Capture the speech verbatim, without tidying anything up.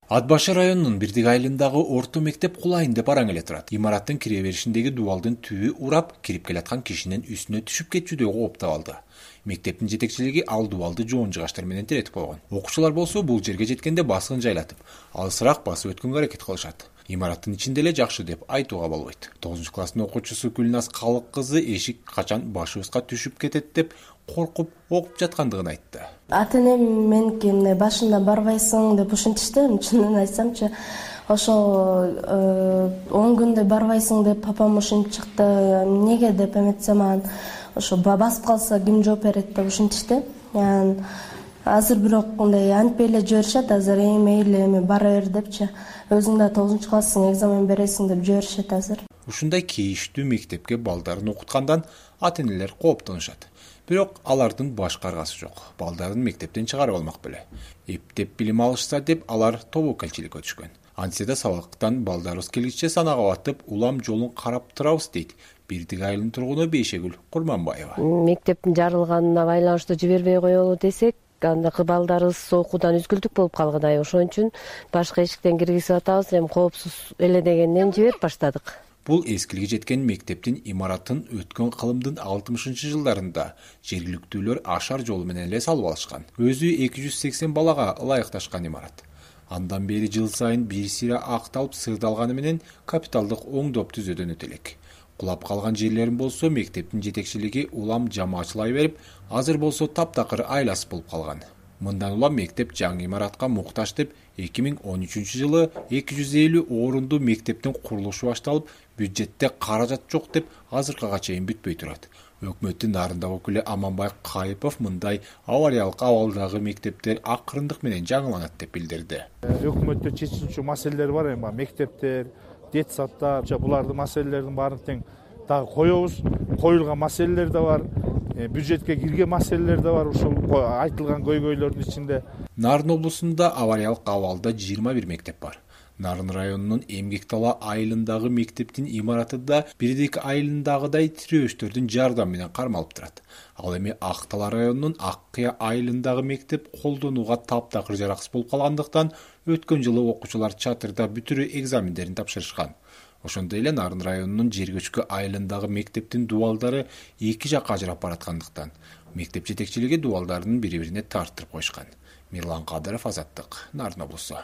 Ат башы районунун Бирдик айылындагы орто мектеп кулайын деп араң эле турат. Имараттын кире беришиндеги дубалдын түбү урап, кирип келаткан кишинин үстүнө түшүп кетчүдөй кооптоп алды. Мектептин жетекчилиги ал дубалды жоон жыгачтар менен теретип койгон. Окуучулар болсо бул жерге жеткенде баскын жайлатып, алысыраак басып өткөнгө аракет кылышат. Имараттын ичинде эле жакшы деп айтууга болбойт. тогузунчу класстын окуучусу Гүлназ Калык кызы эшик качан башыбызга түшүп кетет деп коркуп окуп жаткандыгын айтты. Ата энем меники эмне башында барбайсың деп ушинтишти. Чынын айтсамчы, ошол он күндө барбайсың деп папам ушинтип чыкты. Эмнеге деп эметсем, анан ошо басып калса ким жооп берет деп ушинтишти. Анан азыр бирок мындай антпей эле жиберишет. Азыр эми мейли эми бара бер депчи. Өзүң да тогузунчу класстын экзамен бересиң деп жиберишет азыр. Ушундай кейиштүү мектепке балдарын окуткандан ата энелер кооптонушат. Бирок алардын баш каргасы жок. Балдарын мектептен чыгарып алмак беле. Эптеп билим алышса деп алар тобокелчиликке түшкөн. Антсе да сабактан балдарыбыз келгиче санага батып, улам жолун карап турабыз дейт Бирдик айылынын тургуну Бейшегүл Курманбаева. Мектептин жарылганына байланыштуу жибербей коелу десек, андагы балдарыбыз окуудан үзгүлтүк болуп калгыдай. Ошон үчүн башка эшиктен киргизип атабыз. Эми коопсуз эле дегенден жиберип баштадык. Бул эскилиги жеткен мектептин имаратын өткөн кылымдын алтымышынчы жылдарында жергиликтүүлөр ашар жолу менен эле салып алышкан. Өзү эки жүз сексен балага ылайыкташкан имарат. Андан бери жыл сайын бир сыйра акталып сырдалганы менен капиталдык оңдоп түзөөдөн элек. Кулап калган жерлерин болсо мектептин жетекчилиги улам жамаачылай берип, азыр болсо таптакыр айласы болуп калган. Мындан улам мектеп жаңы имаратка муктаж деп эки миң он үчүнчү жылы эки жүз элүү орунду мектептин курулушу башталып, бюджетте каражат жок деп азыркыга чейин бүтпөй турат. Өкмөттүн нарындагы өкүлү Аманбай Кайыпов мындай авариялык абалдагы мектептер акырындык менен жаңыланат деп билдирди. Өкмөттө чечүүчү маселелер бар эми, мектептер, детсадтар, булардын маселелердин баарын тең дагы коебуз. Коюлган маселелер да бар. Бюджетке кирген маселелер да бар, ушул айтылган көйгөйлөрдүн ичинде. Нарын облусунда авариялык абалда жыйырма бир мектеп бар. Нарын районунун Эмгектала айылындагы мектептин имараты да Бирдик айылындагыдай тирөөчтөрдүн жардамы менен кармалып турат. Ал эми Актала районунун Ак Кыя айылындагы мектеп колдонууга таптакыр жараксыз болуп калгандыктан өткөн жылы окуучулар чатырда бүтүрүү экзамендерин тапшырышкан. Ошондой эле Нарын районунун Жергөчкү айылындагы мектептин дубалдары эки жакка ажырап бараткандыктан мектеп жетекчилиги дубалдарын бири-бирине тарттырып коюшкан. Мирлан Кадыров, Азаттык, Нарын облусу.